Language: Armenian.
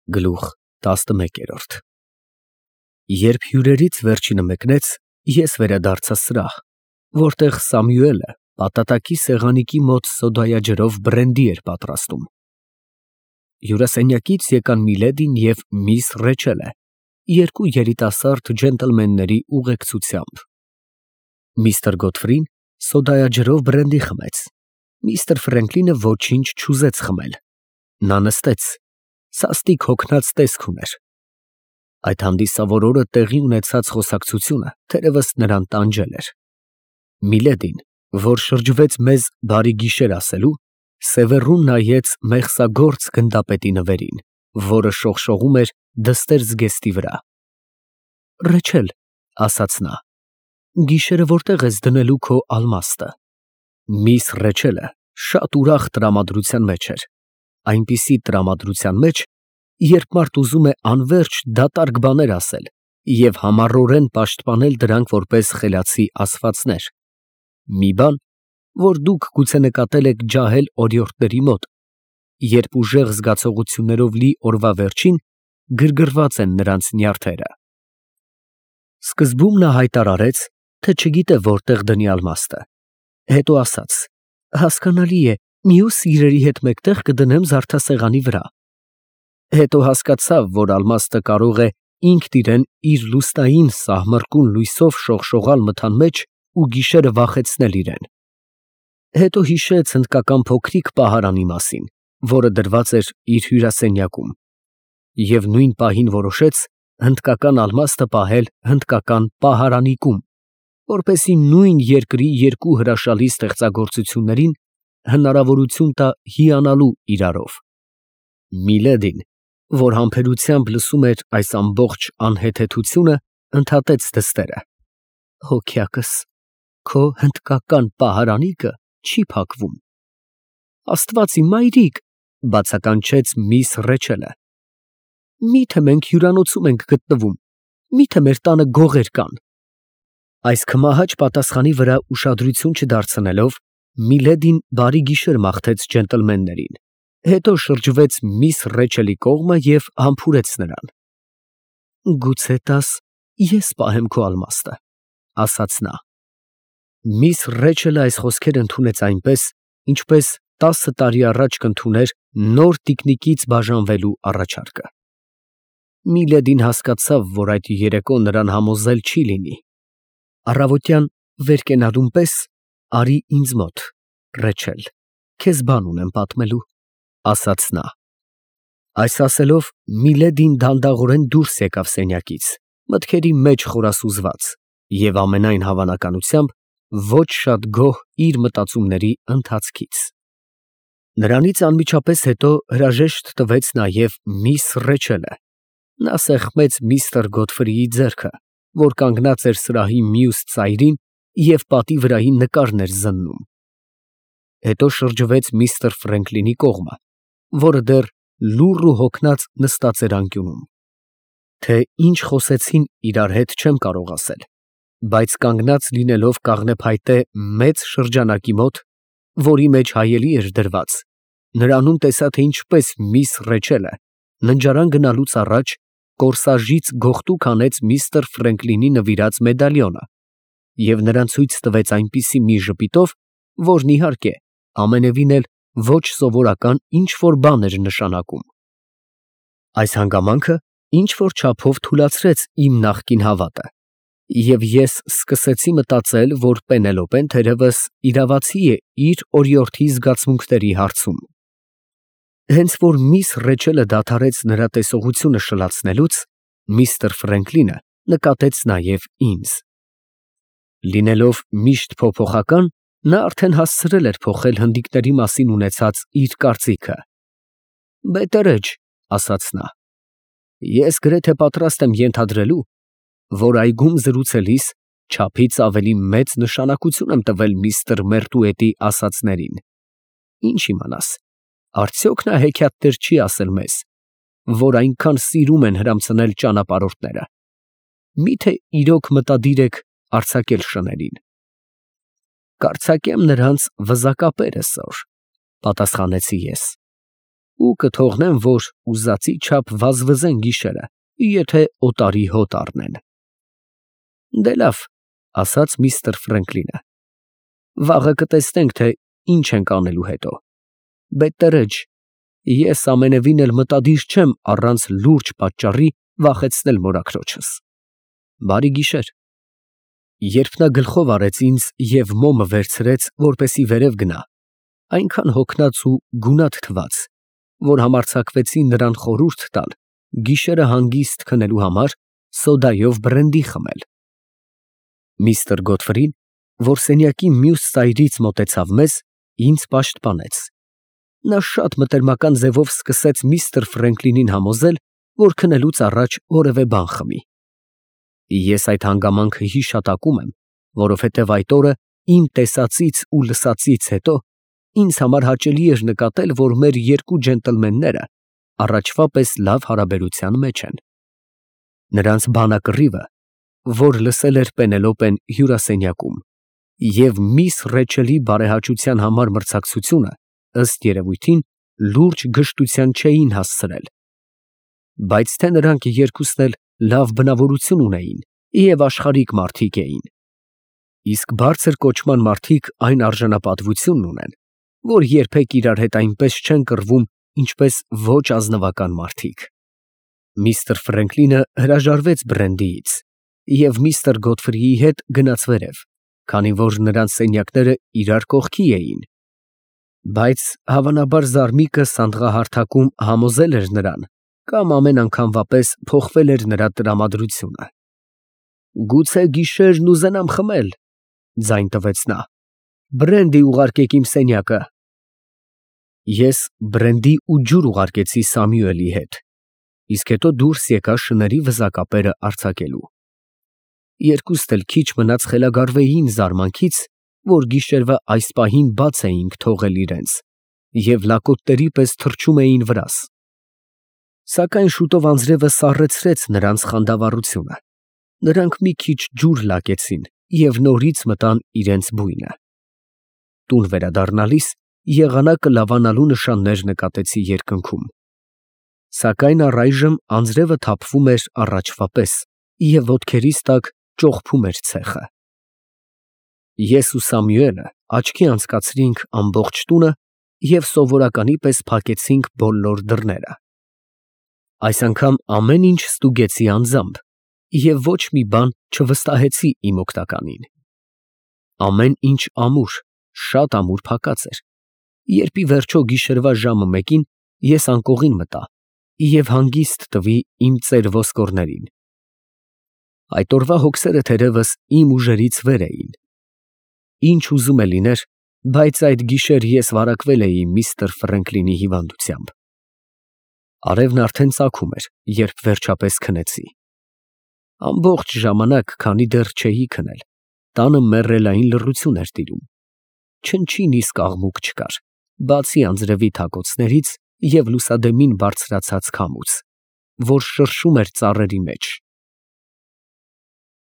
Գլուխ 11 Երբ հյուրերից վերջինը մեկնեց, ես վերադարձա սրահ, որտեղ Սամուելը պատատակի սեղանիկի մոտ սոդայաջրով բրենդի էր պատրաստում։ Հյուրասենյակից եկան Միլեդին և միս Ռեչելը, երկու երիտասարդ ջենտլմենների ուղեկցությամբ։ Միստր Գոդֆրին սոդայաջրով բրենդի խմեց, միստր Ֆրենկլինը ոչինչ չուզեց խմել։ Նա նստեց, սաստիկ հոգնած տեսք ուներ։ Այդ հանդիսավոր օրը տեղի ունեցած խոսակցությունը թերևս նրան տանջել էր։ Միլեդին, որ շրջվեց մեզ բարի գիշեր ասելու, սևեռուն նայեց մեղսագործ գնդապետի նվերին, որը շողշողում էր դստեր զգեստի վրա։ Ռեչել, ասաց նա, գիշերը որտեղ ես դնելու քո ալմաստը։ Միս Ռեչելը շատ ուրախ տրամադրության մեջ էր, այնպիսի տրամադրության մեջ, երբ մարդ ուզում է անվերջ դատարկ բաներ ասել և համառորեն պաշտպանել դրանք որպես խելացի ասվածներ, մի բան, որ դուք գուցե նկատել եք ջահել օրիորդների մոտ, երբ ուժեղ զգացողություններով լի օրվա վերջին գրգռված են նրանց նյարդերը։ Սկզբում նա հայտարարեց, թե չգիտե որտեղ դնի ալմաստը, հետո ասաց. հասկանալի է, մյուս իրերի հետ մեկտեղ կդնեմ զարդասեղանի վրա։ Հետո հասկացավ, որ ալմաստը կարող է ինքն իրեն իր լուստային սահմռկուն լույսով շողշողալ մթան մեջ ու գիշերը վախեցնել իրեն։ Հետո հիշեց հնդկական փոքրիկ պահարանի մասին, որը դրված էր իր հյուրասենյակում, և նույն պահին որոշեց հնդկական ալմաստը պահել հնդկական պահարանիկում, որպեսզի նույն երկրի երկու հրաշալի ստեղծագործություններին հնարավորություն տա հիանալու իրարով։ Միլեդին, որ համբերությամբ լսում էր այս ամբողջ անհեթեթությունը, ընդհատեց դստերը. հոգյակս, քո հնդկական պահարանիկը չի փակվում։ Աստված իմ մայրիկ, բացականչեց միս Ռեչելը, միթե մենք հյուրանոցում ենք գտնվում, միթե մեր տանը գողեր կան։ Այս քմահաճ պատասխանի վրա ուշադրություն չդարձնելով, Միլեդին բարի գիշեր մաղթեց ջենտլմեններին, հետո շրջվեց միս Ռեչելի կողմը և համբուրեց նրան։ Գուցե տաս, ես պահեմ քո ալմաստը, ասաց նա։ Միս Ռեչելը այս խոսքերը ընդունեց այնպես, ինչպես 10 տարի առաջ կընդուներ նոր տիկնիկից բաժանվելու առաջարկը։ Միլեդին հասկացավ, որ այդ երեկո նրան համոզել չի լինի։ Առավոտյան վեր կենալուն պես արի ինձ մոտ, Ռեչել, քեզ բան ունեմ պատմելու, ասաց նա։ Այս ասելով Միլեդին դանդաղորեն դուրս եկավ սենյակից, մտքերի մեջ խորասուզված և ամենայն հավանականությամբ ոչ շատ գոհ իր մտածումների ընթացքից։ Նրանից անմիջապես հետո հրաժեշտ տվեց նաև միս Ռեչելը։ Նա սեղմեց միստր Գոդֆրիի ձեռքը, որ կանգնած էր սրահի մյուս ծայրին և պատի վրայի նկարն էր զննում։ Հետո շրջվեց միստր Ֆրենկլինի կողմը, որը դեռ լուռ ու հոգնած նստած էր անկյունում։ Թե ինչ խոսեցին իրար հետ չեմ կարող ասել, բայց կանգնած լինելով կաղնեփայտե մեծ շրջանակի մոտ, որի մեջ հայելի էր դրված, նրանում տեսա, թե ինչպես միս Ռեչելը ննջարան գնալուց առաջ կորսաժից գողտուկ հանեց միստր Ֆրենկլինի նվիրած մեդալյոնը և նրան ցույց տվեց այնպիսի մի ժպիտով, որն իհարկե ամենևին էլ ոչ սովորական ինչ֊որ բան էր նշանակում։ Այս հանգամանքը ինչ֊որ չափով թուլացրեց իմ նախկին հավատը, և ես սկսեցի մտածել, որ Պենելոպեն թերևս իրավացի է իր օրիորդի զգացմունքների հարցում։ Հենց որ միս Ռեչելը դադարեց նրա տեսողությունը շլացնելուց, միստր Ֆրենկլինը նկատեց նաև ինձ։ Լինելով միշտ փոփոխական, նա արդեն հասցրել էր փոխել հնդիկների մասին ունեցած իր կարծիքը։ Բետերեջ, ասաց նա, ես գրեթե պատրաստ եմ ենթադրելու, որ այգում զրուցելիս չափից ավելի մեծ նշանակություն եմ տվել միստր Մերտուետի ասածներին։ Ինչ իմանաս, արդյոք նա հեքիաթներ չի ասել մեզ, որ այնքան սիրում են հրամցնել ճանապարհորդները։ Միթե իրոք մտադիր եք արձակել շներին։ Կարձակեմ նրանց վզակապերը, սըր, պատասխանեցի ես։ ու կթողնեն, որ ուզածի չափ վազվզեն գիշերը, եթե օտարի հոտ առնեն։ Դե լավ, ասաց միստր Ֆրենկլինը, վաղը կտեսնենք, թե ինչ ենք անելու հետո։ Բետտերեջ, ես ամենևին էլ մտադիր չեմ առանց լուրջ պատճառի վախեցնել մորաքրոջս։ Բարի գիշեր։ Երբ նա գլխով արեց ինձ և մոմը վերցրեց, որպեսի վերև գնա, այնքան հոգնած ու գունատ թվաց, որ համարձակվեցի նրան խորհուրդ տալ գիշերը հանգիստ քնելու համար սոդայով բրենդի խմել։ Միստր Գոթֆրին, որ սենյակի մյուս ծայրից մոտեցավ մեզ, ինձ պաշտպանեց։ Նա շատ մտերմական ձևով սկսեց միստր Ֆրենկլինին համոզել, որ քնելուց առաջ որևէ բան խմի։ Ես այդ հանգամանքը հիշատակում եմ, որովհետև այդ օրը իմ տեսածից ու լսածից հետո ինձ համար հաճելի էր նկատել, որ մեր երկու ջենտլմենները առաջվա պես լավ հարաբերության մեջ են։ Նրանց բանակռիվը, որ լսել էր Պենելոպեն հյուրասենյակում, և միս Ռեչելի բարեհաճության համար մրցակցությունը, ըստ երևույթին, լուրջ գժտության չէին հասցրել։ Բայց թե նրանք երկուսն էլ լավ բնավորություն ունեին և աշխարհիկ մարդիկ էին, իսկ բարձր կոչման մարդիկ այն արժանապատվությունն ունեն, որ երբեք իրար հետ այնպես չեն կռվում, ինչպես ոչ ազնվական մարդիկ։ Միստր Ֆրենկլինը հրաժարվեց բրենդիից և միստր Գոթֆրիի հետ գնաց վերև, քանի որ նրանց սենյակները իրար կողքի էին, բայց հավանաբար զարմիկը սանդղահարթակում համոզել էր նրան, կամ ամեն անգամվա պես փոխվել էր նրա տրամադրությունը։ «Գուցե գիշերն ուզենամ խմել», ֊ ձայն տվեց նա, ֊ «բրենդի ուղարկեք իմ սենյակը»։ Ես բրենդի ու ջուր ուղարկեցի Սամուելի հետ, իսկ հետո դուրս եկա շների վզակապերը արձակելու։ Երկուստ էլ քիչ մնաց խելագարվեին զարմանքից, որ գիշերվա այս պահին բաց էինք թողել իրենց և լակոտների պես թռչում էին վրաս։ Սակայն շուտով անձրևը սառեցրեց նրանց խանդավառությունը, նրանք մի քիչ ջուր լակեցին և նորից մտան իրենց բույնը։ Տուն վերադառնալիս եղանակը լավանալու նշաններ նկատեցի երկնքում, սակայն առայժմ անձրևը թափվում էր առաջվա պես և ոտքերիս տակ ճողփում էր ցեխը։ Ես ու Սամուելը աչքի անցկացրինք ամբողջ տունը և սովորականի պես փակեցինք բոլոր դռները։ Այս անգամ ամեն ինչ ստուգեցի անձամբ և ոչ մի բան չվստահեցի իմ օգնականին։ Ամեն ինչ ամուր, շատ ամուր փակած էր, երբ ի վերջո գիշերվա ժամը մեկին ես անկողին մտա և հանգիստ տվի իմ ծեր ոսկորներին։ Այդ օրվա հոգսերը թերևս իմ ուժերից վեր էին։ Ինչ ուզում է լիներ, բայց այդ գիշեր ես վարակվել էի միստր Ֆրենկլինի հիվանդությամբ։ Արևն արդեն ծագում էր, երբ վերջապես քնեցի։ Ամբողջ ժամանակ, քանի դեռ չէի քնել, տանը մեռելային լռություն էր տիրում։ Չնչին իսկ աղմուկ չկար, բացի անձրևի թակոցներից և լուսադեմին բարձրացած քամուց, որ շրշում էր ծառերի մեջ։